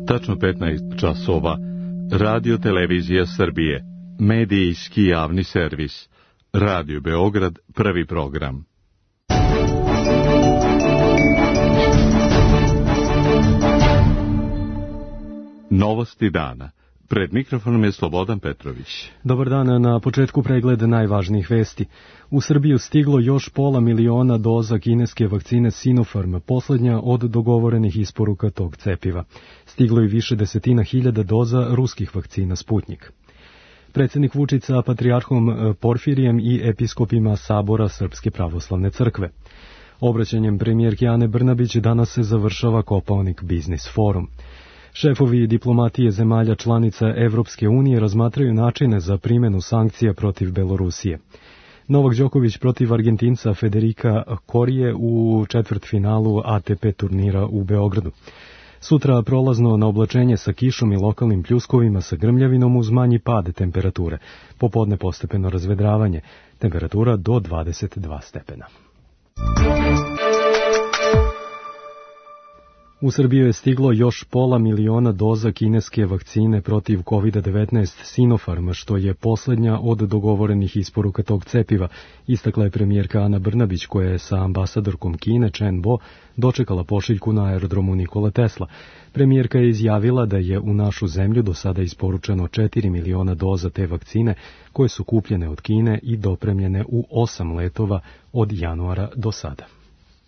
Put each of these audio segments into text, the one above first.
Tačno 15 časova. Radio Televizija Srbije. Medijski javni servis. Radio Beograd, prvi program. Novosti dana. Pred mikrofonom je Slobodan Petrović. Dobar dan, na početku pregled najvažnijih vesti. U Srbiju stiglo još 500 000 doza kineske vakcine Sinopharm, poslednja od dogovorenih isporuka tog cepiva. Stiglo je više desetina hiljada doza ruskih vakcina Sputnjik. Predsjednik Vučić sa patrijarhom Porfirijem i episkopima Sabora Srpske pravoslavne crkve. Obraćanjem premijerke Ane Brnabić danas se završava Kopaonik Biznis forum. Šefovi diplomatije zemalja članica Evropske unije razmatraju načine za primjenu sankcija protiv Belorusije. Novak Đoković protiv Argentinca Federika Korije u četvrtfinalu ATP turnira u Beogradu. Sutra prolazno na oblačenje sa kišom i lokalnim pljuskovima sa grmljavinom uz manji pad temperature. Popodne postepeno razvedravanje. Temperatura do 22 stepena. U Srbiju je stiglo još 500 000 doza kineske vakcine protiv COVID-19 Sinopharm, što je posljednja od dogovorenih isporuka tog cepiva, istakla je premijerka Ana Brnabić, koja je sa ambasadorkom Kine Chen Bo dočekala pošiljku na aerodromu Nikola Tesla. Premijerka je izjavila da je u našu zemlju do sada isporučeno 4 miliona doza te vakcine, koje su kupljene od Kine i dopremljene u 8 letova od januara do sada.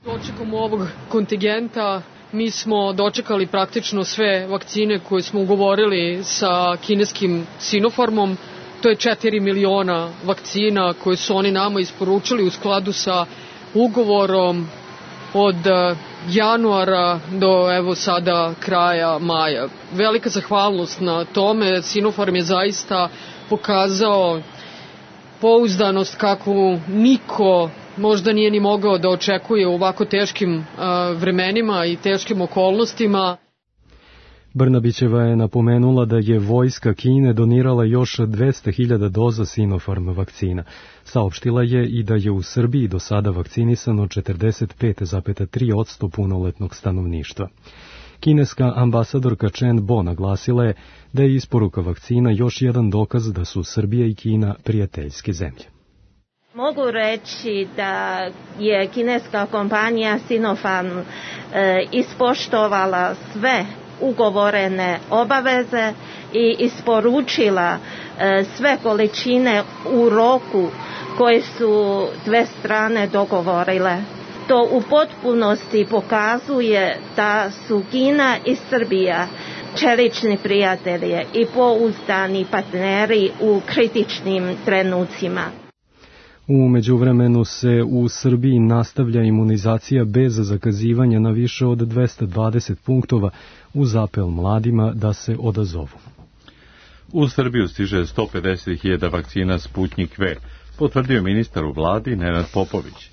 Dočekom ovog kontingenta mi smo dočekali praktično sve vakcine koje smo ugovorili sa kineskim Sinopharmom. To je 4 miliona vakcina koje su oni nama isporučili u skladu sa ugovorom od januara do evo sada kraja maja. Velika zahvalnost na tome. Sinopharm je zaista pokazao pouzdanost kakvu niko možda nije ni mogao da očekuje u ovako teškim vremenima i teškim okolnostima. Brnabićeva je napomenula da je vojska Kine donirala još 200.000 doza Sinopharm vakcina. Saopštila je i da je u Srbiji do sada vakcinisano 45,3% punoletnog stanovništva. Kineska ambasadorka Chen Bo naglasila je da je isporuka vakcina još jedan dokaz da su Srbija i Kina prijateljske zemlje. Mogu reći da je kineska kompanija Sinopharm ispoštovala sve ugovorene obaveze i isporučila sve količine u roku koje su dve strane dogovorile. To u potpunosti pokazuje da su Kina i Srbija čelični prijatelji i pouzdani partneri u kritičnim trenucima. U međuvremenu se u Srbiji nastavlja imunizacija bez zakazivanja na više od 220 punktova uz apel mladima da se odazovu. U Srbiju stiže 150.000 vakcina Sputnjik V, potvrdio ministar u vladi Nenad Popović.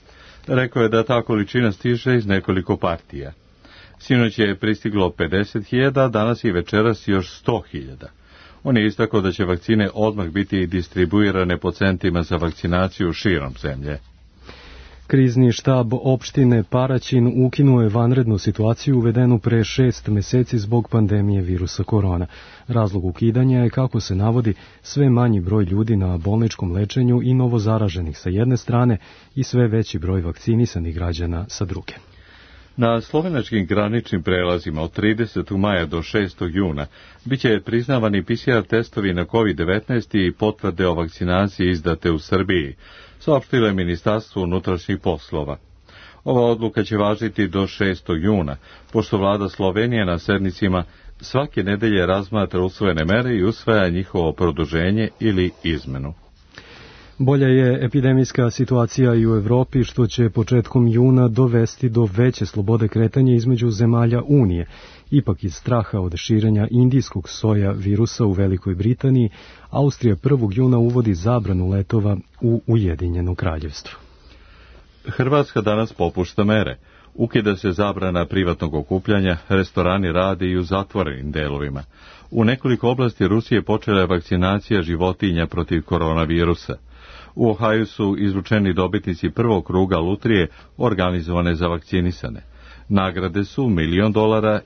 Rekao je da ta količina stiže iz nekoliko partija. Sinoć je pristiglo 50.000, danas i večeras još 100.000. On je istakao da će vakcine odmah biti distribuirane po centrima za vakcinaciju širom zemlje. Krizni štab opštine Paraćin ukinuo je vanrednu situaciju uvedenu pre 6 meseci zbog pandemije virusa korona. Razlog ukidanja je, kako se navodi, sve manji broj ljudi na bolničkom lečenju i novozaraženih sa jedne strane i sve veći broj vakcinisanih građana sa druge. Na slovenačkim graničnim prelazima od 30. maja do 6. juna biće priznavani PCR testovi na COVID-19 i potvrde o vakcinaciji izdate u Srbiji, saopštilo je Ministarstvo unutrašnjih poslova. Ova odluka će važiti do 6. juna, pošto vlada Slovenije na sednicima svake nedelje razmatra usvojene mere i usvaja njihovo produženje ili izmenu. Bolja je epidemijska situacija i u Evropi, što će početkom juna dovesti do veće slobode kretanja između zemalja Unije. Ipak iz straha od širenja indijskog soja virusa u Velikoj Britaniji, Austrija 1. juna uvodi zabranu letova u Ujedinjeno kraljevstvo. Hrvatska danas popušta mere. Ukida se zabrana privatnog okupljanja, restorani rade i u zatvorenim delovima. U nekoliko oblasti Rusije počela je vakcinacija životinja protiv koronavirusa. U Ohaju su izručeni dobitnici prvog kruga lutrije organizovane za vakcinisane. Nagrade su $1 milion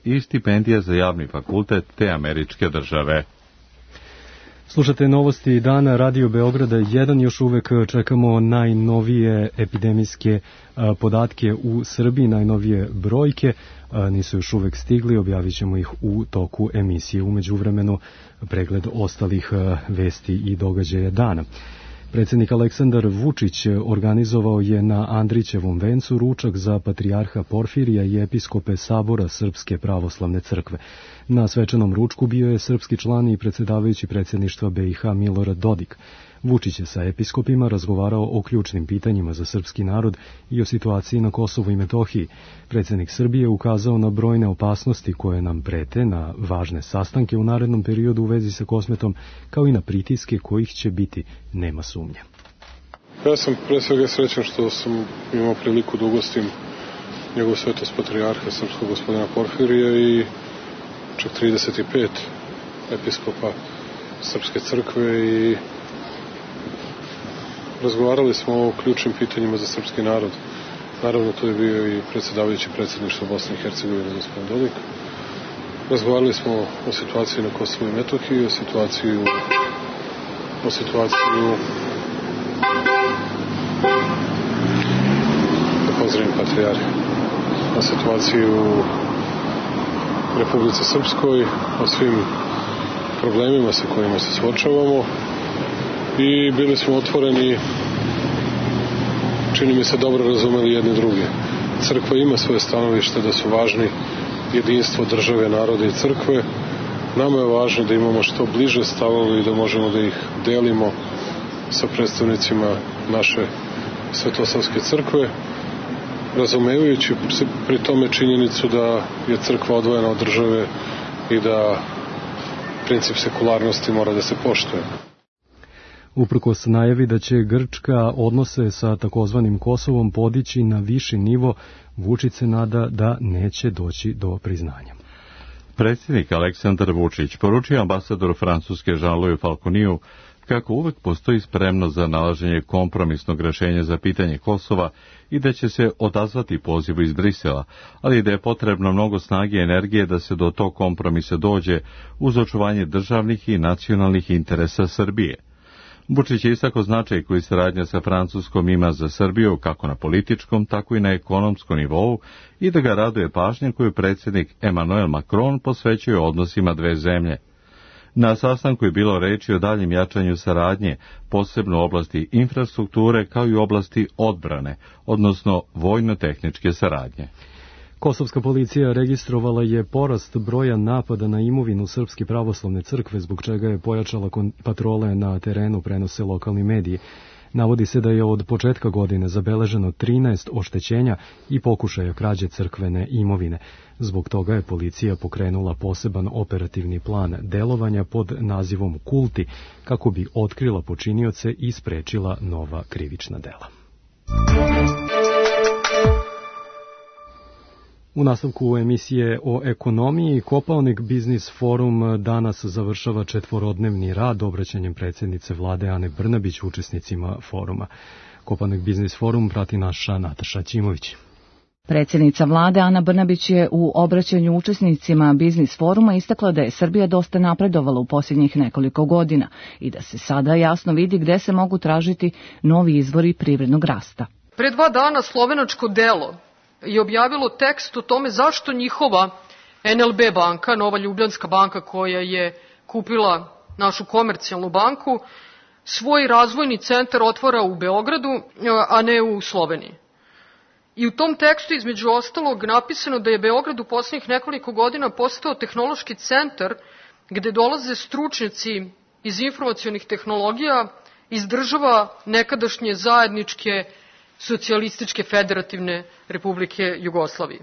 i stipendija za javni fakultet te američke države. Slušate novosti dana Radio Beograda 1, još uvek čekamo najnovije epidemijske podatke u Srbiji, najnovije brojke, nisu još uvek stigli, objavit ćemo ih u toku emisije. U međuvremenu pregled ostalih vesti i događaja dana. Predsjednik Aleksandar Vučić organizovao je na Andrićevom vencu ručak za patrijarha Porfirija i episkope Sabora Srpske pravoslavne crkve. Na svečanom ručku bio je srpski član i predsjedavajući predsjedništva BiH Milorad Dodik. Vučić je sa episkopima razgovarao o ključnim pitanjima za srpski narod i o situaciji na Kosovu i Metohiji. Predsjednik Srbije ukazao na brojne opasnosti koje nam prete, na važne sastanke u narednom periodu u vezi sa Kosmetom, kao i na pritiske kojih će biti, nema sumnje. Ja sam pre svega srećan što sam imao priliku da ugostim njegov svetost patrijarha srpskog gospodina Porfirija i čak 35 episkopa Srpske crkve i razgovarali smo o ključnim pitanjima za srpski narod. Naravno, to je bio i predsjedavajući predsjedništva Bosne i Hercegovine, gospodin Dodik. Razgovarali smo o situaciji na Kosovu i Metohiji, o situaciji da pozdravim patrijarha, o situaciji u Republici Srpskoj, o svim problemima sa kojima se suočavamo i bili smo otvoreni, čini mi se dobro razumeli jedni druge. Crkva ima svoje stanovište da su važni jedinstvo države, naroda i crkve. Nama je važno da imamo što bliže stavove i da možemo da ih delimo sa predstavnicima naše svetosavske crkve, razumevajući pri tome činjenicu da je crkva odvojena od države i da princip sekularnosti mora da se poštuje. Uprkos najavi da će Grčka odnose sa takozvanim Kosovom podići na viši nivo, Vučić se nada da neće doći do priznanja. Predsjednik Aleksandar Vučić poručio ambasadoru Francuske Jean-Louis Falconiju kako uvek postoji spremnost za nalaženje kompromisnog rešenja za pitanje Kosova i da će se odazvati pozivu iz Brisela, ali da je potrebno mnogo snage i energije da se do tog kompromisa dođe uz očuvanje državnih i nacionalnih interesa Srbije. Vučić je istakao značaj koji saradnja sa Francuskom ima za Srbiju kako na političkom, tako i na ekonomskom nivou i da ga raduje pažnja koju predsjednik Emmanuel Macron posvećuje odnosima dve zemlje. Na sastanku je bilo reči o daljem jačanju saradnje, posebno u oblasti infrastrukture kao i u oblasti odbrane, odnosno vojno-tehničke saradnje. Kosovska policija registrovala je porast broja napada na imovinu Srpske pravoslavne crkve, zbog čega je pojačala patrole na terenu, prenose lokalni mediji. Navodi se da je od početka godine zabeleženo 13 oštećenja i pokušaja krađe crkvene imovine. Zbog toga je policija pokrenula poseban operativni plan delovanja pod nazivom Kulti, kako bi otkrila počinioce i sprečila nova krivična dela. U nastavku emisije o ekonomiji, Kopaonik Biznis Forum danas završava 4-dnevni rad obraćanjem predsjednice vlade Ane Brnabić učesnicima foruma. Kopaonik Biznis Forum prati naša Nataša Ćimović. Predsjednica vlade Ana Brnabić je u obraćanju učesnicima Biznis foruma istakla da je Srbija dosta napredovala u posljednjih nekoliko godina i da se sada jasno vidi gde se mogu tražiti novi izvori privrednog rasta. Pre 2 dana slovenačko Delo je objavilo tekst o tome zašto njihova NLB banka, Nova Ljubljanska banka koja je kupila našu komercijalnu banku, svoj razvojni centar otvara u Beogradu, a ne u Sloveniji. I u tom tekstu između ostalog napisano da je Beograd u posljednjih nekoliko godina postao tehnološki centar gde dolaze stručnjaci iz informacionih tehnologija iz država nekadašnje zajedničke Socijalističke federativne Republike Jugoslavije.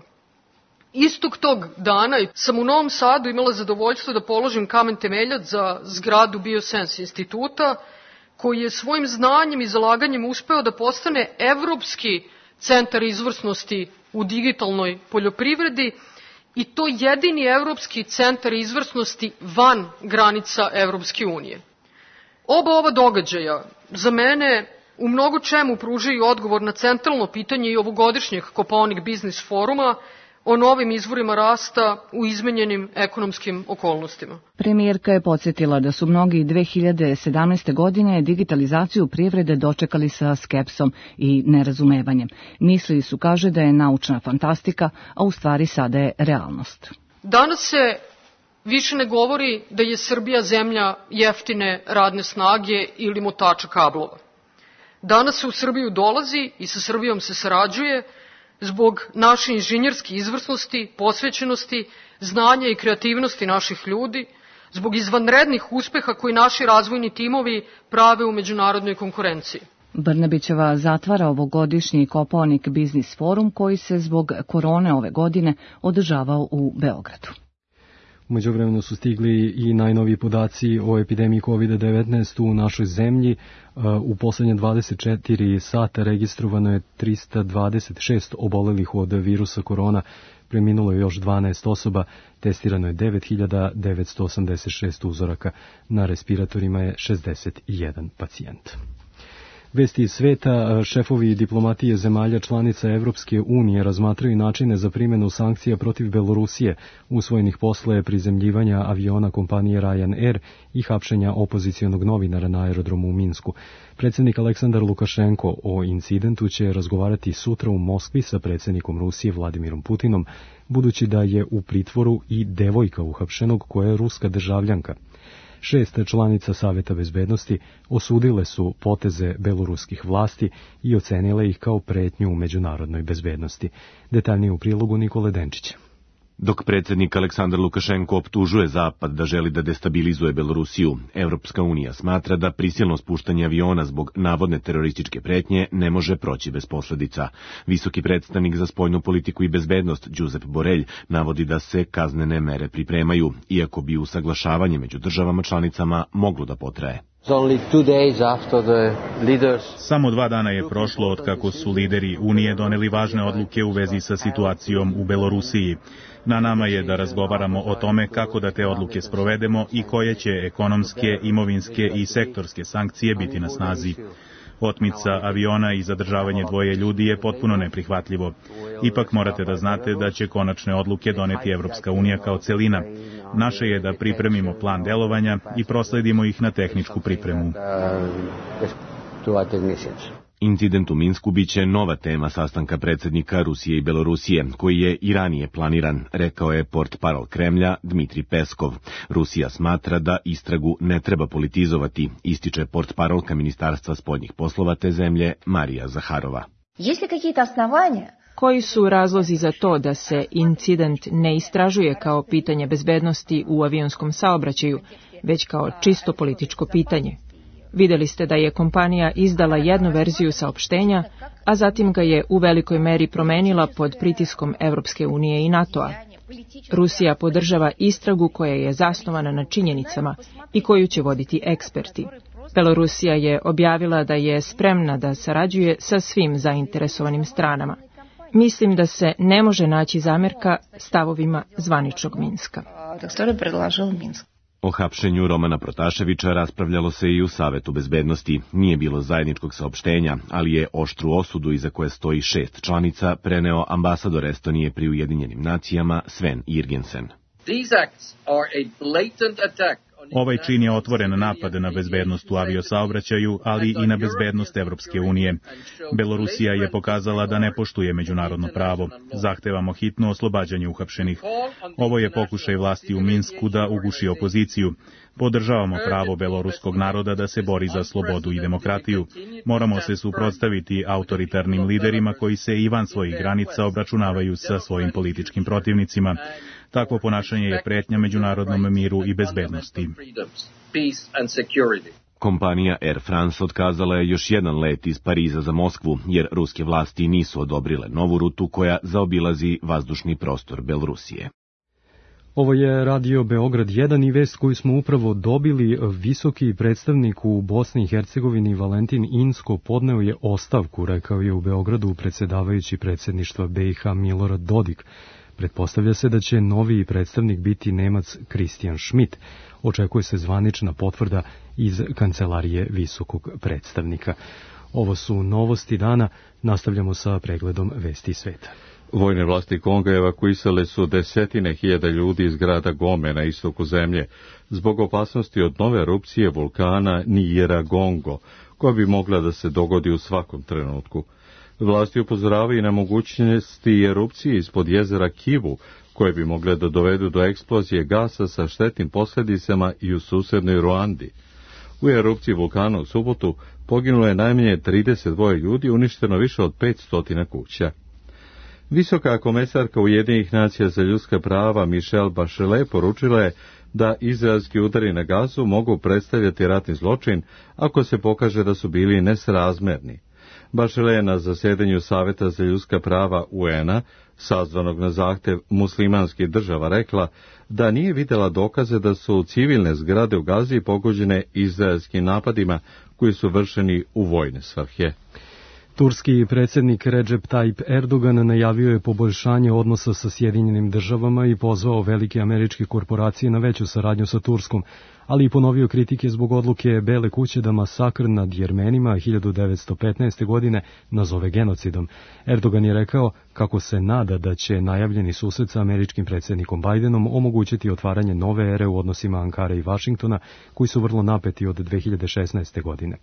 Istog tog dana sam u Novom Sadu imala zadovoljstvo da položim kamen temeljac za zgradu Biosense instituta, koji je svojim znanjem i zalaganjem uspeo da postane evropski centar izvrsnosti u digitalnoj poljoprivredi i to jedini evropski centar izvrsnosti van granica Evropske unije. Oba ova događaja za mene u mnogo čemu pružaju odgovor na centralno pitanje i ovogodišnjeg Kopaonik Biznis foruma o novim izvorima rasta u izmenjenim ekonomskim okolnostima. Premijerka je podsjetila da su mnogi 2017. godine digitalizaciju privrede dočekali sa skepsom i nerazumevanjem. Mislili su, kaže, da je naučna fantastika, a u stvari sada je realnost. Danas se više ne govori da je Srbija zemlja jeftine radne snage ili motača kablova. Danas se u Srbiju dolazi i sa Srbijom se sarađuje zbog naše inženjerske izvrsnosti, posvećenosti, znanja i kreativnosti naših ljudi, zbog izvanrednih uspeha koji naši razvojni timovi prave u međunarodnoj konkurenciji. Brnabićeva zatvara ovogodišnji Kopaonik biznis forum koji se zbog korone ove godine održavao u Beogradu. U međuvremenu su stigli i najnoviji podaci o epidemiji COVID-19 u našoj zemlji. U poslednje 24 sata registrovano je 326 obolelih od virusa korona, preminulo je još 12 osoba, testirano je 9986 uzoraka, na respiratorima je 61 pacijent. Vesti iz sveta, šefovi diplomatije zemalja članica Evropske unije razmatraju načine za primjenu sankcija protiv Belorusije, usvojenih posle prizemljivanja aviona kompanije Ryanair i hapšenja opozicionog novinara na aerodromu u Minsku. Predsjednik Aleksandar Lukašenko o incidentu će razgovarati sutra u Moskvi sa predsjednikom Rusije Vladimirom Putinom, budući da je u pritvoru i devojka uhapšenog koja je ruska državljanka. 6 članica Saveta bezbednosti osudile su poteze beloruskih vlasti i ocenile ih kao pretnju u međunarodnoj bezbednosti. Detaljnije u prilogu Nikole Denčića. Dok predsjednik Aleksandar Lukašenko optužuje Zapad da želi da destabilizuje Belorusiju, Evropska unija smatra da prisilno spuštanje aviona zbog navodne terorističke pretnje ne može proći bez posljedica. Visoki predstavnik za spoljnu politiku i bezbednost Josep Borrell navodi da se kaznene mere pripremaju, iako bi usaglašavanje među državama članicama moglo da potraje. Samo 2 dana je prošlo od kako su lideri Unije doneli važne odluke u vezi sa situacijom u Belorusiji. Na nama je da razgovaramo o tome kako da te odluke sprovedemo i koje će ekonomske, imovinske i sektorske sankcije biti na snazi. Otmica aviona i zadržavanje 2 ljudi je potpuno neprihvatljivo. Ipak morate da znate da će konačne odluke doneti Evropska unija kao celina. Naše je da pripremimo plan delovanja i prosledimo ih na tehničku pripremu. Incident u Minsku biće nova tema sastanka predsjednika Rusije i Belorusije, koji je i ranije planiran, rekao je portparol Kremlja Dmitri Peskov. Rusija smatra da istragu ne treba politizovati, ističe portparolka Ministarstva spoljnih poslova te zemlje Marija Zaharova. Koji su razlozi za to da se incident ne istražuje kao pitanje bezbednosti u avionskom saobraćaju, već kao čisto političko pitanje? Vidjeli ste da je kompanija izdala jednu verziju saopštenja, a zatim ga je u velikoj meri promenila pod pritiskom Evropske unije i NATO-a. Rusija podržava istragu koja je zasnovana na činjenicama i koju će voditi eksperti. Belorusija je objavila da je spremna da sarađuje sa svim zainteresovanim stranama. Mislim da se ne može naći zamjerka stavovima zvaničnog Minska. O hapšenju Romana Protaševića raspravljalo se i u Savetu bezbednosti. Nije bilo zajedničkog saopštenja, ali je oštru osudu iza koje stoji 6 članica preneo ambasador Estonije pri Ujedinjenim nacijama Sven Jürgensen. Ovaj čin je otvoren napad na bezbednost u aviosaobraćaju, ali i na bezbednost Evropske unije. Belorusija je pokazala da ne poštuje međunarodno pravo. Zahtevamo hitno oslobađanje uhapšenih. Ovo je pokušaj vlasti u Minsku da uguši opoziciju. Podržavamo pravo beloruskog naroda da se bori za slobodu i demokratiju. Moramo se suprotstaviti autoritarnim liderima koji se i van svojih granica obračunavaju sa svojim političkim protivnicima. Takvo ponašanje je pretnja međunarodnom miru i bezbednosti. Kompanija Air France otkazala je još jedan let iz Pariza za Moskvu, jer ruske vlasti nisu odobrile novu rutu koja zaobilazi vazdušni prostor Belorusije. Ovo je Radio Beograd 1 i vest koju smo upravo dobili. Visoki predstavnik u Bosni i Hercegovini Valentin Inzko podneo je ostavku, rekao je u Beogradu predsjedavajući predsjedništva BiH Milorad Dodik. Pretpostavlja se da će novi predstavnik biti Nemac Christian Schmidt. Očekuje se zvanična potvrda iz kancelarije visokog predstavnika. Ovo su novosti dana. Nastavljamo sa pregledom vesti sveta. Vojne vlasti Konga evakuisale su desetine hiljada ljudi iz grada Gome na istoku zemlje zbog opasnosti od nove erupcije vulkana Nyiragongo, koja bi mogla da se dogodi u svakom trenutku. Vlasti upozoravaju na mogućnosti erupcije ispod jezera Kivu, koje bi mogle da dovedu do eksplozije gasa sa štetnim posljedicama i u susednoj Ruandi. U erupciji vulkana u subotu poginulo je najmanje 32 ljudi, uništeno više od 500 kuća. Visoka komesarka Ujedinjenih nacija za ljudska prava Michelle Bachelet poručila je da izraelski udari na Gazu mogu predstavljati ratni zločin ako se pokaže da su bili nesrazmerni. Bachelet je na zasedanju Saveta za ljudska prava UN-a, sazvanog na zahtev muslimanskih država, rekla da nije vidjela dokaze da su civilne zgrade u Gazi pogođene izraelskim napadima koji su vršeni u vojne svrhe. Turski predsjednik Recep Tayyip Erdogan najavio je poboljšanje odnosa sa Sjedinjenim državama i pozvao velike američke korporacije na veću saradnju sa Turskom, ali i ponovio kritike zbog odluke Bele kuće da masakr nad Jermenima 1915. godine nazove genocidom. Erdogan je rekao kako se nada da će najavljeni susret sa američkim predsjednikom Bidenom omogućiti otvaranje nove ere u odnosima Ankare i Vašingtona, koji su vrlo napeti od 2016. godine.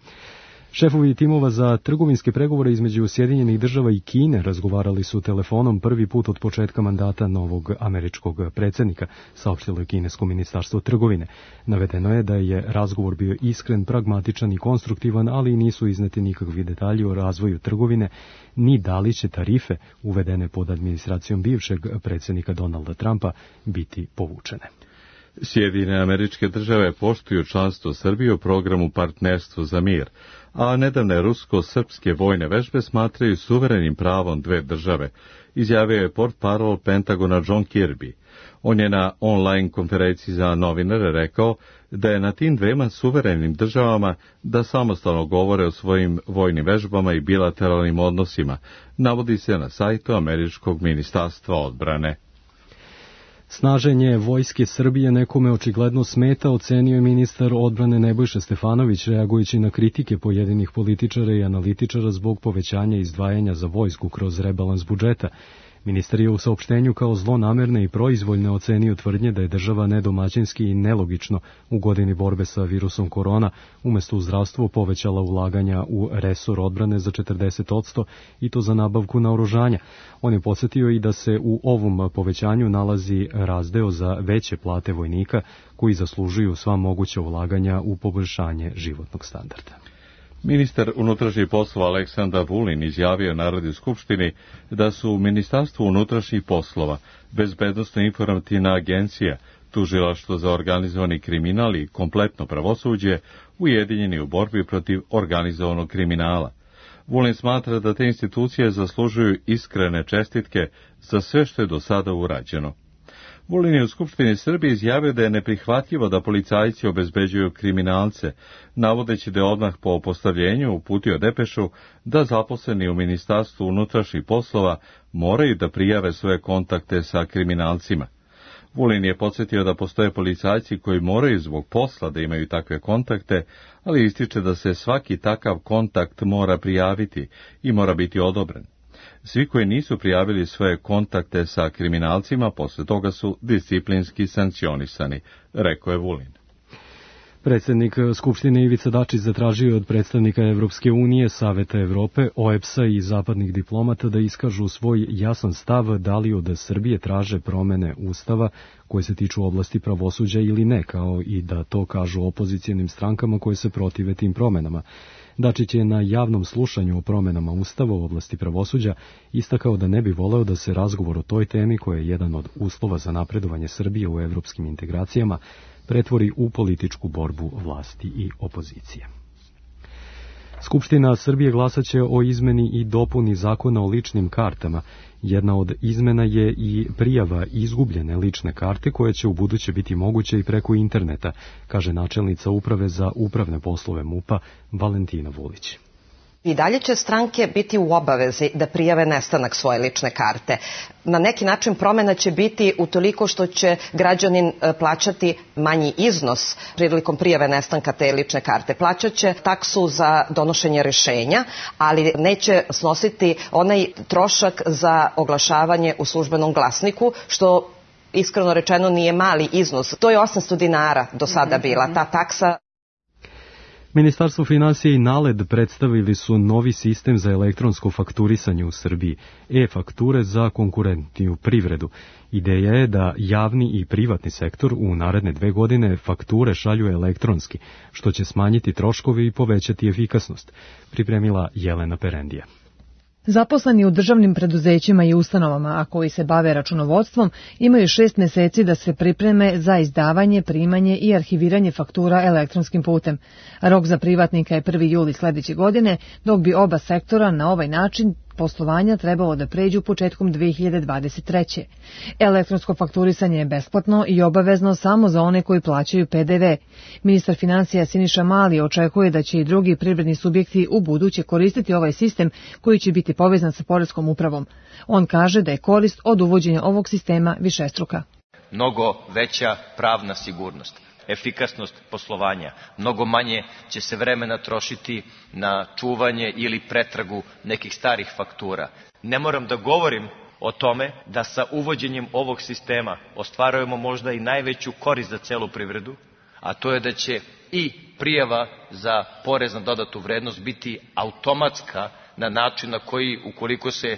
Šefovi timova za trgovinske pregovore između Sjedinjenih država i Kine razgovarali su telefonom prvi put od početka mandata novog američkog predsjednika, saopštilo je kinesko ministarstvo trgovine. Navedeno je da je razgovor bio iskren, pragmatičan i konstruktivan, ali nisu izneti nikakvi detalji o razvoju trgovine, ni da li će tarife uvedene pod administracijom bivšeg predsjednika Donalda Trumpa biti povučene. Sjedinjene Američke Države poštuju članstvo Srbije u programu Partnerstvo za mir, a nedavne rusko-srpske vojne vežbe smatraju suverenim pravom dve države, izjavio je portparol Pentagona John Kirby. On je na online konferenciji za novinare rekao da je na tim dvema suverenim državama da samostalno govore o svojim vojnim vežbama i bilateralnim odnosima, navodi se na sajtu Američkog ministarstva odbrane. Snaženje vojske Srbije nekome očigledno smeta, ocenio je ministar odbrane Nebojša Stefanović, reagujući na kritike pojedinih političara i analitičara zbog povećanja izdvajanja za vojsku kroz rebalans budžeta. Ministar je u saopštenju kao zlonamerne i proizvoljne ocenio tvrdnje da je država nedomaćinski i nelogično u godini borbe sa virusom korona umjesto u zdravstvo povećala ulaganja u resor odbrane za 40% i to za nabavku naoružanja. On je podsjetio i da se u ovom povećanju nalazi razdeo za veće plate vojnika koji zaslužuju sva moguća ulaganja u poboljšanje životnog standarda. Ministar unutrašnjih poslova Aleksandar Vulin izjavio Narodnoj skupštini da su u Ministarstvu unutrašnjih poslova, Bezbednosno-informativna agencija, Tužilaštvo za organizovani kriminal i kompletno pravosuđe ujedinjeni u borbi protiv organizovanog kriminala. Vulin smatra da te institucije zaslužuju iskrene čestitke za sve što je do sada urađeno. Vulin je u Skupštini Srbije izjavio da je neprihvatljivo da policajci obezbeđuju kriminalce, navodeći da je odmah po postavljenju uputio depešu da zaposleni u Ministarstvu unutrašnjih poslova moraju da prijave svoje kontakte sa kriminalcima. Vulin je podsjetio da postoje policajci koji moraju zbog posla da imaju takve kontakte, ali ističe da se svaki takav kontakt mora prijaviti i mora biti odobren. Svi koji nisu prijavili svoje kontakte sa kriminalcima posle toga su disciplinski sankcionisani, rekao je Vulin. Predsjednik Skupštine Ivica Dačić zatražio od predstavnika Evropske unije, Saveta Evrope, OEBS-a i zapadnih diplomata da iskažu svoj jasan stav da li od Srbije traže promene Ustava koje se tiču oblasti pravosuđa ili ne, kao i da to kažu opozicijenim strankama koje se protive tim promenama. Dačić je na javnom slušanju o promenama Ustava u oblasti pravosuđa istakao da ne bi voleo da se razgovor o toj temi, koja je jedan od uslova za napredovanje Srbije u evropskim integracijama, pretvori u političku borbu vlasti i opozicije. Skupština Srbije glasaće o izmeni i dopuni zakona o ličnim kartama. Jedna od izmena je i prijava izgubljene lične karte koja će ubuduće biti moguće i preko interneta, kaže načelnica Uprave za upravne poslove MUP-a Valentina Vulić. I dalje će stranke biti u obavezi da prijave nestanak svoje lične karte. Na neki način promjena će biti utoliko što će građanin plaćati manji iznos prilikom prijave nestanka te lične karte. Plaćat će taksu za donošenje rješenja, ali neće snositi onaj trošak za oglašavanje u službenom glasniku, što iskreno rečeno nije mali iznos. To je 800 dinara do sada bila ta taksa. Ministarstvo finansija i NALED predstavili su novi sistem za elektronsko fakturisanje u Srbiji, e-fakture za konkurentniju privredu. Ideja je da javni i privatni sektor u naredne 2 godine fakture šalju elektronski, što će smanjiti troškove i povećati efikasnost, pripremila Jelena Perendija. Zaposleni u državnim preduzećima i ustanovama, a koji se bave računovodstvom, imaju 6 meseci da se pripreme za izdavanje, primanje i arhiviranje faktura elektronskim putem. Rok za privatnika je 1. juli sledeće godine, dok bi oba sektora na ovaj način poslovanja trebalo da pređu početkom 2023. Elektronsko fakturisanje je besplatno i obavezno samo za one koji plaćaju PDV. Ministar finansija Siniša Mali očekuje da će i drugi privredni subjekti u buduće koristiti ovaj sistem koji će biti povezan sa poreskom upravom. On kaže da je korist od uvođenja ovog sistema višestruka. Mnogo veća pravna sigurnost, efikasnost poslovanja, mnogo manje će se vremena trošiti na čuvanje ili pretragu nekih starih faktura. Ne moram da govorim o tome da sa uvođenjem ovog sistema ostvarujemo možda i najveću korist za celu privredu, a to je da će i prijava za porez na dodatu vrednost biti automatska na način na koji, ukoliko se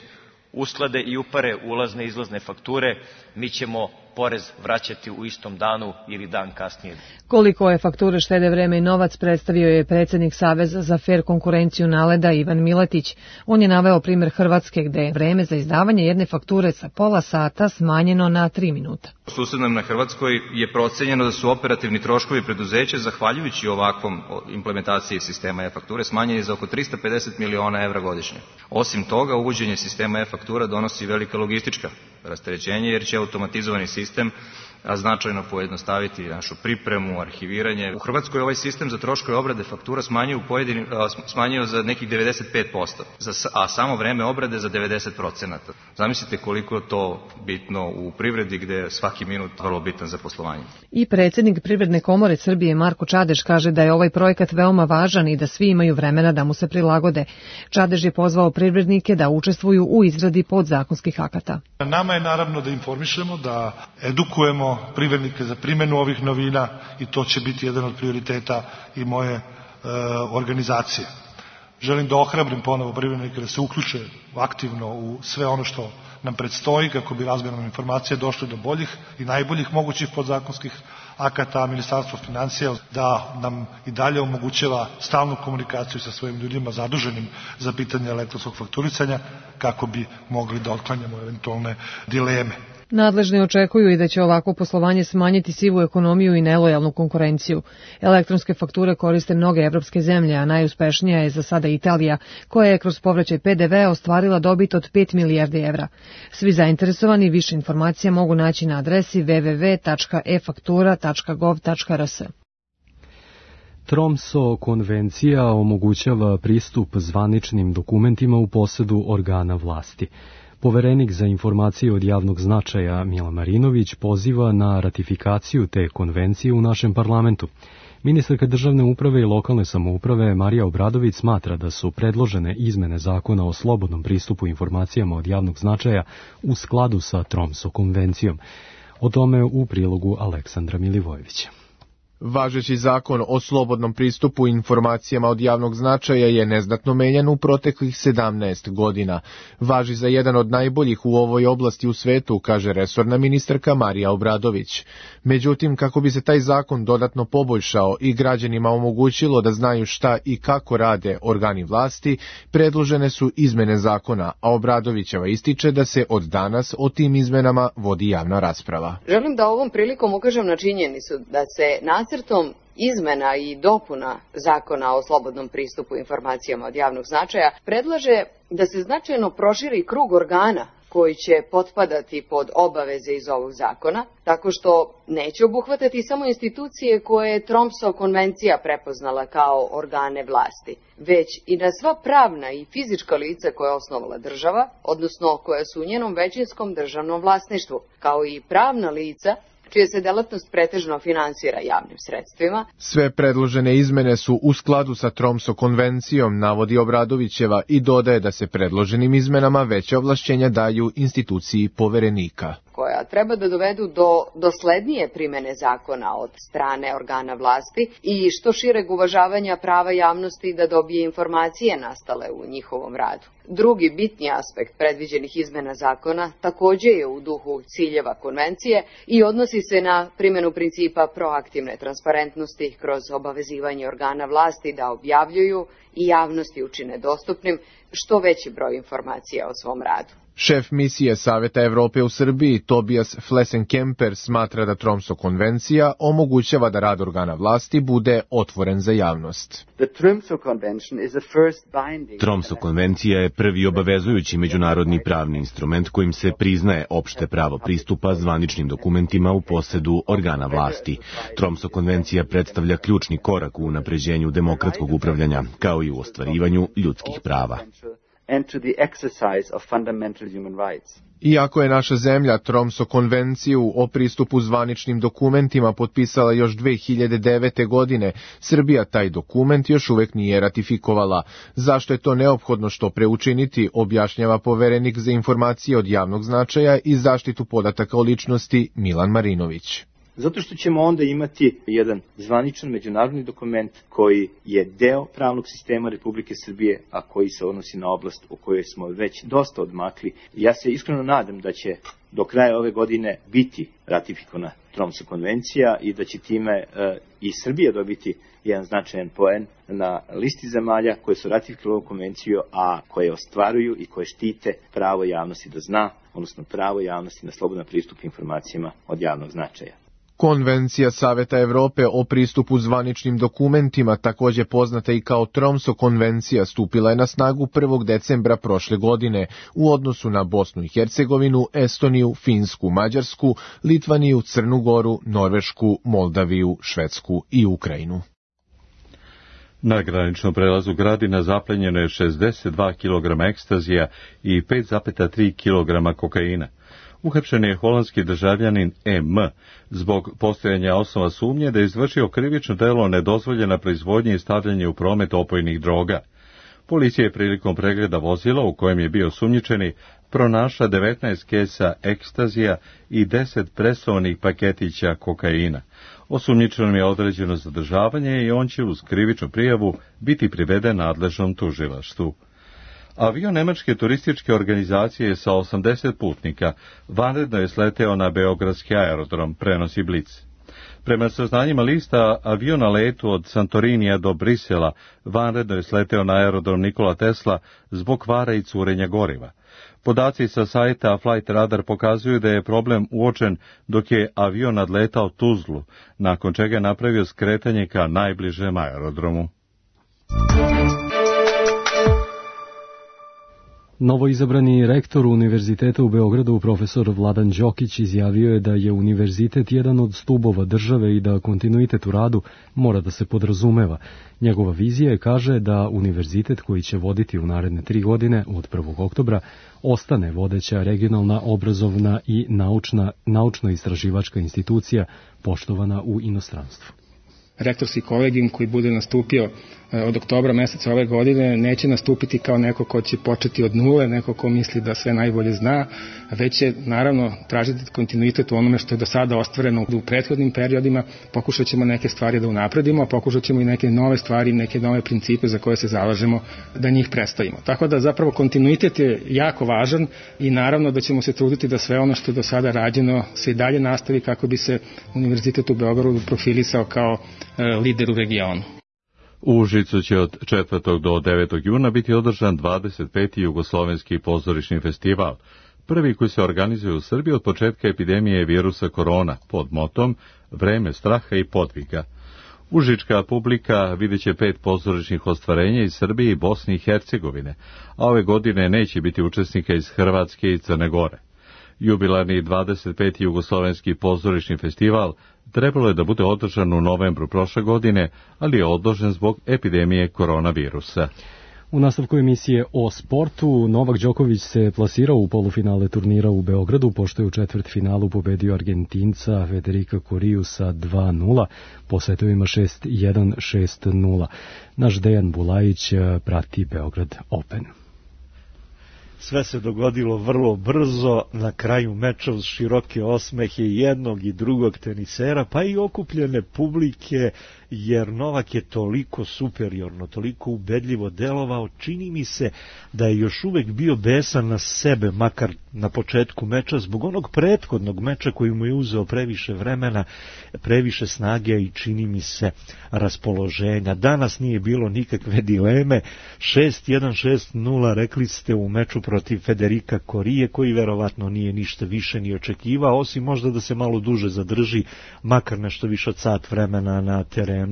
usklade i upare ulazne i izlazne fakture, mi ćemo porez vraćati u istom danu ili dan kasnije. Koliko je fakture štede vreme i novac predstavio je predsjednik Saveza za fer konkurenciju NALED-a Ivan Milatić. On je naveo primjer Hrvatske gde je vreme za izdavanje jedne fakture sa pola sata smanjeno na 3 minuta. U susednom na Hrvatskoj je procenjeno da su operativni troškovi preduzeća, zahvaljujući ovakvom implementaciji sistema e-fakture, smanjeni za oko 350 miliona evra godišnje. Osim toga, uvođenje sistema e-faktura donosi velika logistička rasterećenje, jer će automatizovani sistem značajno pojednostaviti našu pripremu, arhiviranje. U Hrvatskoj ovaj sistem za troškove obrade faktura smanjio za nekih 95%, a samo vreme obrade za 90%. Zamislite koliko je to bitno u privredi gde je svaki minut vrlo bitan za poslovanje. I predsjednik Privredne komore Srbije Marko Čadež kaže da je ovaj projekat veoma važan i da svi imaju vremena da mu se prilagode. Čadež je pozvao privrednike da učestvuju u izradi podzakonskih akata. Nama je naravno da informišemo, da edukujemo privrednike za primjenu ovih novina i to će biti jedan od prioriteta i moje organizacije. Želim da ohrabrim ponovo privrednike da se uključe aktivno u sve ono što nam predstoji kako bi razmjenom informacija došli do boljih i najboljih mogućih podzakonskih akata, a Ministarstvo finansija da nam i dalje omogućava stalnu komunikaciju sa svojim ljudima zaduženim za pitanje elektronskog fakturisanja kako bi mogli da otklanjamo eventualne dileme. Nadležni očekuju i da će ovako poslovanje smanjiti sivu ekonomiju i nelojalnu konkurenciju. Elektronske fakture koriste mnoge evropske zemlje, a najuspešnija je za sada Italija, koja je kroz povraćaj PDV ostvarila dobit od 5 milijardi evra. Svi zainteresovani više informacija mogu naći na adresi www.efaktura.gov.rs. Tromso konvencija omogućava pristup zvaničnim dokumentima u posedu organa vlasti. Poverenik za informacije od javnog značaja Milan Marinović poziva na ratifikaciju te konvencije u našem parlamentu. Ministarka državne uprave i lokalne samouprave Marija Obradović smatra da su predložene izmene zakona o slobodnom pristupu informacijama od javnog značaja u skladu sa Tromso konvencijom. O tome u prilogu Aleksandra Milivojevića. Važeći zakon o slobodnom pristupu informacijama od javnog značaja je neznatno menjan u proteklih 17 godina. Važi za jedan od najboljih u ovoj oblasti u svetu, kaže resorna ministarka Marija Obradović. Međutim, kako bi se taj zakon dodatno poboljšao i građanima omogućilo da znaju šta i kako rade organi vlasti, predložene su izmene zakona, a Obradovićeva ističe da se od danas o tim izmenama vodi javna rasprava. Želim da ovom prilikom ukažem na činjenicu da se nacrtom izmena i dopuna zakona o slobodnom pristupu informacijama od javnog značaja predlaže da se značajno proširi krug organa koji će potpadati pod obaveze iz ovog zakona, tako što neće obuhvatati samo institucije koje je Tromsø konvencija prepoznala kao organe vlasti, već i na sva pravna i fizička lica koja je osnovala država, odnosno koja su u njenom većinskom državnom vlasništvu, kao i pravna lica čija se delatnost pretežno finansira javnim sredstvima. Sve predložene izmene su u skladu sa Tromsø konvencijom, navodi Obradovićeva i dodaje da se predloženim izmenama veća ovlašćenja daju instituciji poverenika, koja treba da dovedu do doslednije primene zakona od strane organa vlasti i što šireg uvažavanja prava javnosti da dobije informacije nastale u njihovom radu. Drugi bitni aspekt predviđenih izmena zakona takođe je u duhu ciljeva konvencije i odnosi se na primjenu principa proaktivne transparentnosti kroz obavezivanje organa vlasti da objavljuju i javnosti učine dostupnim što veći broj informacija o svom radu. Šef misije Saveta Evrope u Srbiji, Tobias Flessenkemper, smatra da Tromsø konvencija omogućava da rad organa vlasti bude otvoren za javnost. Tromsø konvencija je prvi obavezujući međunarodni pravni instrument kojim se priznaje opšte pravo pristupa zvaničnim dokumentima u posedu organa vlasti. Tromsø konvencija predstavlja ključni korak u unapređenju demokratskog upravljanja, kao i u ostvarivanju ljudskih prava. Iako je naša zemlja Tromsø konvenciju o pristupu zvaničnim dokumentima potpisala još 2009. godine, Srbija taj dokument još uvek nije ratifikovala. Zašto je to neophodno što pre učiniti, objašnjava poverenik za informacije od javnog značaja i zaštitu podataka o ličnosti Milan Marinović. Zato što ćemo onda imati jedan zvaničan međunarodni dokument koji je deo pravnog sistema Republike Srbije, a koji se odnosi na oblast u kojoj smo već dosta odmakli. Ja se iskreno nadam da će do kraja ove godine biti ratifikovana Tromsø konvencija i da će time i Srbija dobiti jedan značajan poen na listi zemalja koje su ratifikovale ovu konvenciju, a koje ostvaruju i koje štite pravo javnosti da zna, odnosno pravo javnosti na slobodan pristup informacijama od javnog značaja. Konvencija Saveta Evrope o pristupu zvaničnim dokumentima, takođe poznata i kao Tromsø konvencija, stupila je na snagu 1. decembra prošle godine u odnosu na Bosnu i Hercegovinu, Estoniju, Finsku, Mađarsku, Litvaniju, Crnu Goru, Norvešku, Moldaviju, Švedsku i Ukrajinu. Na graničnom prelazu Gradina zaplenjeno je 62 kg ekstazija i 5,3 kg kokaina. Uhapšen je holandski državljanin M. zbog postojanja osnova sumnje da je izvršio krivično delo nedozvoljena proizvodnja i stavljanje u promet opojnih droga. Policija je prilikom pregleda vozila u kojem je bio osumnjičeni pronašla 19 kesa ekstazija i 10 presovanih paketića kokaina. Osumnjičenom je određeno zadržavanje i on će uz krivičnu prijavu biti priveden nadležnom tužilaštvu. Avion nemačke turističke organizacije sa 80 putnika vanredno je sleteo na beogradski aerodrom, prenosi Blic. Prema saznanjima lista, avion na letu od Santorinija do Brisela vanredno je sleteo na aerodrom Nikola Tesla zbog kvara i curenja goriva. Podaci sa sajta Flight Radar pokazuju da je problem uočen dok je avion nadletao Tuzlu, nakon čega je napravio skretanje ka najbližem aerodromu. Novoizabrani rektor Univerziteta u Beogradu, profesor Vladan Đokić, izjavio je da je univerzitet jedan od stubova države i da kontinuitet u radu mora da se podrazumeva. Njegova vizija je, kaže, da univerzitet koji će voditi u naredne 3 godine od 1. oktobra ostane vodeća regionalna, obrazovna i naučno-istraživačka institucija poštovana u inostranstvu. Rektorski kolegijum koji bude nastupio od oktobra meseca ove godine neće nastupiti kao neko ko će početi od nule, neko ko misli da sve najbolje zna, već će naravno tražiti kontinuitet u onome što je do sada ostvareno u prethodnim periodima. Pokušat ćemo neke stvari da unapredimo, a pokušat ćemo i neke nove stvari, neke nove principe za koje se zalažemo da njih predstavimo. Tako da zapravo kontinuitet je jako važan i naravno da ćemo se truditi da sve ono što je do sada rađeno se i dalje nastavi kako bi se Univerzitet u Beogradu profilisao kao lider u regionu. U Užicu će od 4. do 9. juna biti održan 25. jugoslovenski pozorišni festival, prvi koji se organizuje u Srbiji od početka epidemije virusa korona pod motom Vreme straha i podviga. Užička publika vidjet će 5 pozorišnih ostvarenja iz Srbije i Bosne i Hercegovine, a ove godine neće biti učesnika iz Hrvatske i Crne Gore. Jubilarni 25. jugoslovenski pozorišni festival trebalo je da bude održan u novembru prošle godine, ali je odložen zbog epidemije koronavirusa. U nastavku emisije o sportu, Novak Đoković se plasirao u polufinale turnira u Beogradu, pošto je u četvrtfinalu pobedio Argentinca Federica Coriju sa 2-0, po setovima 6-1, 6-0. Naš Dejan Bulajić prati Beograd Open. Sve se dogodilo vrlo brzo, na kraju meča uz široke osmehe jednog i drugog tenisera, pa i okupljene publike, jer Novak je toliko superiorno, toliko ubedljivo delovao, čini mi se da je još uvek bio besan na sebe, makar na početku meča, zbog onog prethodnog meča koji mu je uzeo previše vremena, previše snage i čini mi se raspoloženja. Danas nije bilo nikakve dileme, 6-1, 6-0, rekli ste u meču protiv Federica Corije, koji verovatno nije ništa više ni očekivao, osim možda da se malo duže zadrži, makar nešto više od sat vremena na terenu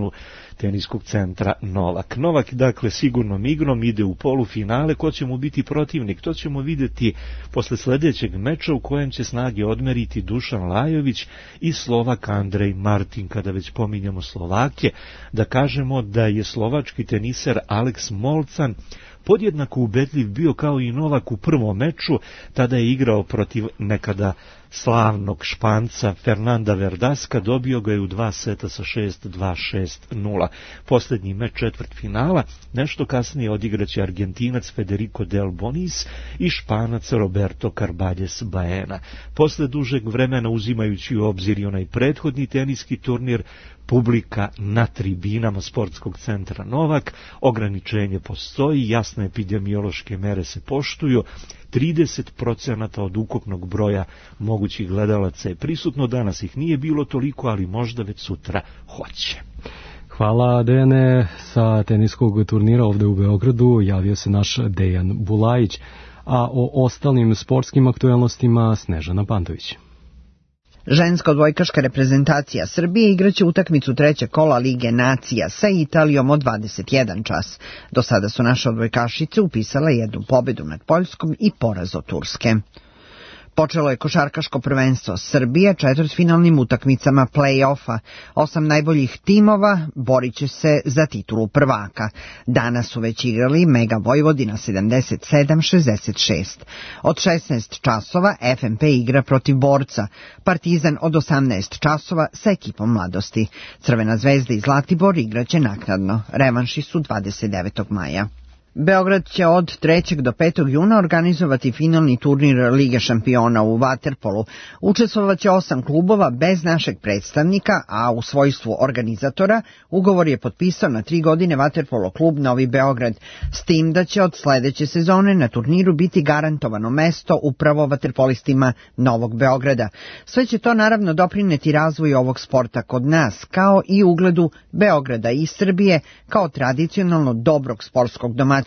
teniskog centra Novak. Novak, dakle, sigurnom igrom ide u polufinale. Ko će mu biti protivnik? To ćemo vidjeti posle sljedećeg meča, u kojem će snage odmeriti Dušan Lajović i Slovak Andrej Martin. Kada već pominjamo Slovake, da kažemo da je slovački teniser Alex Molcan podjednako ubedljiv bio kao i Novak u prvom meču, tada je igrao protiv nekada slavnog Španca Fernanda Verdaska, dobio ga je u 2 seta sa 6-2, 6-0. Posljednji meč četvrtfinala, nešto kasnije odigraće Argentinac Federico Del Bonis i Španac Roberto Carballes Baena. Posle dužeg vremena, uzimajući u obzir i onaj prethodni teniski turnir, publika na tribinama sportskog centra Novak, ograničenje postoji, jasne epidemiološke mere se poštuju, 30% od ukupnog broja mogućih gledalaca je prisutno, danas ih nije bilo toliko, ali možda već sutra hoće. Hvala, Dejane. Sa teniskog turnira ovde u Beogradu javio se naš Dejan Bulajić, a o ostalim sportskim aktuelnostima Snežana Pantović. Ženska odbojkaška reprezentacija Srbije igraće utakmicu trećeg kola Lige nacija sa Italijom od 21 čas. Do sada su naše odbojkašice upisale jednu pobedu nad Poljskom i poraz od Turske. Počelo je košarkaško prvenstvo Srbije četvrtfinalnim utakmicama play-offa. 8 najboljih timova borit će se za titulu prvaka. Danas su već igrali Mega Vojvodina 77-66. Od 16 časova FNP igra protiv Borca. Partizan od 18 časova sa ekipom Mladosti. Crvena zvezda i Zlatibor igraće naknadno. Revanši su 29. maja. Beograd će od 3. do 5. juna organizovati finalni turnir Lige šampiona u vaterpolu. Učestvovaće 8 klubova bez našeg predstavnika, a u svojstvu organizatora ugovor je potpisao na 3 godine vaterpolo klub Novi Beograd, s tim da će od sledeće sezone na turniru biti garantovano mesto upravo vaterpolistima Novog Beograda. Sve će to naravno doprineti razvoju ovog sporta kod nas, kao i ugledu Beograda i Srbije kao tradicionalno dobrog sportskog domaćina,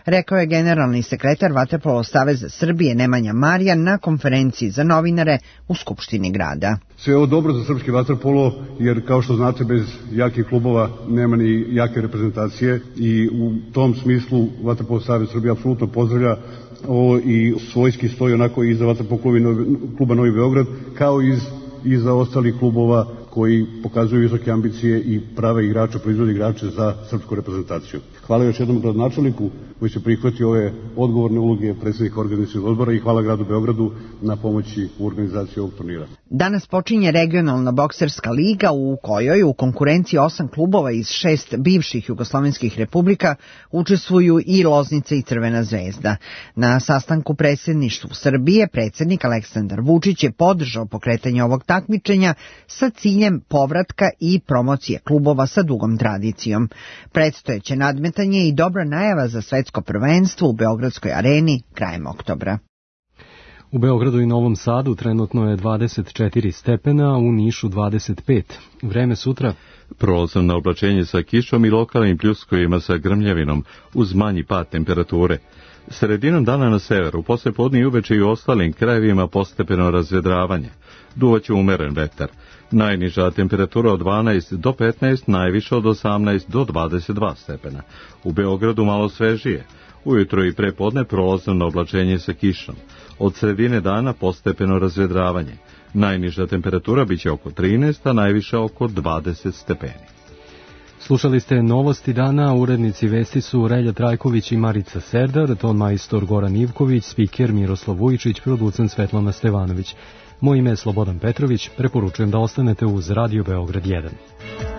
rekao je generalni sekretar Vaterpolo saveza Srbije Nemanja Marijan na konferenciji za novinare u Skupštini grada. Sve je ovo dobro za srpski vaterpolo, jer kao što znate, bez jakih klubova nema ni jake reprezentacije i u tom smislu Vaterpolo savez Srbije apsolutno pozdravlja ovo i svojski stoji onako i za vaterpolo kluba Novi Beograd, kao i za ostalih klubova koji pokazuju visoke ambicije i prave igrače, proizvode igrače za srpsku reprezentaciju. Hvala još jednom gradonačelniku koji se prihvatio ove odgovorne uloge predsjednika organizacijskog odbora i hvala gradu Beogradu na pomoći u organizaciji ovog turnira. Danas počinje regionalna bokserska liga u kojoj u konkurenciji 8 klubova iz 6 bivših jugoslovenskih republika učestvuju i Loznica i Crvena zvezda. Na sastanku predsjedništvu Srbije predsjednik Aleksandar Vučić je podržao pokretanje ovog takmičenja sa ciljem povratka i promocije klubova sa dugom tradicijom. Predstojeće nadmetanje i dobra najava za svetsko prvenstvo u Beogradskoj areni krajem oktobra. U Beogradu i Novom Sadu trenutno je 24 stepena, u Nišu 25. Vreme sutra? Prolazno oblačenje sa kišom i lokalnim pljuskovima sa grmljavinom uz manji pad temperature. Sredinom dana na severu, poslijepodne i uveče i u ostalim krajevima postepeno razvedravanje. Duvaće umeren vetar. Najniža temperatura od 12 do 15, najviša od 18 do 22 stepena. U Beogradu malo svežije. Ujutro i prepodne prolazno oblačenje sa kišom. Od sredine dana postepeno razvedravanje. Najniža temperatura biće oko 13, a najviša oko 20 stepeni. Slušali ste novosti dana, urednici vesti su Relja Trajković i Marica Serdar, ton majstor Goran Ivković, spiker Miroslav Vujičić, producent Svetlana Stevanović. Moje ime je Slobodan Petrović, preporučujem da ostanete uz Radio Beograd 1.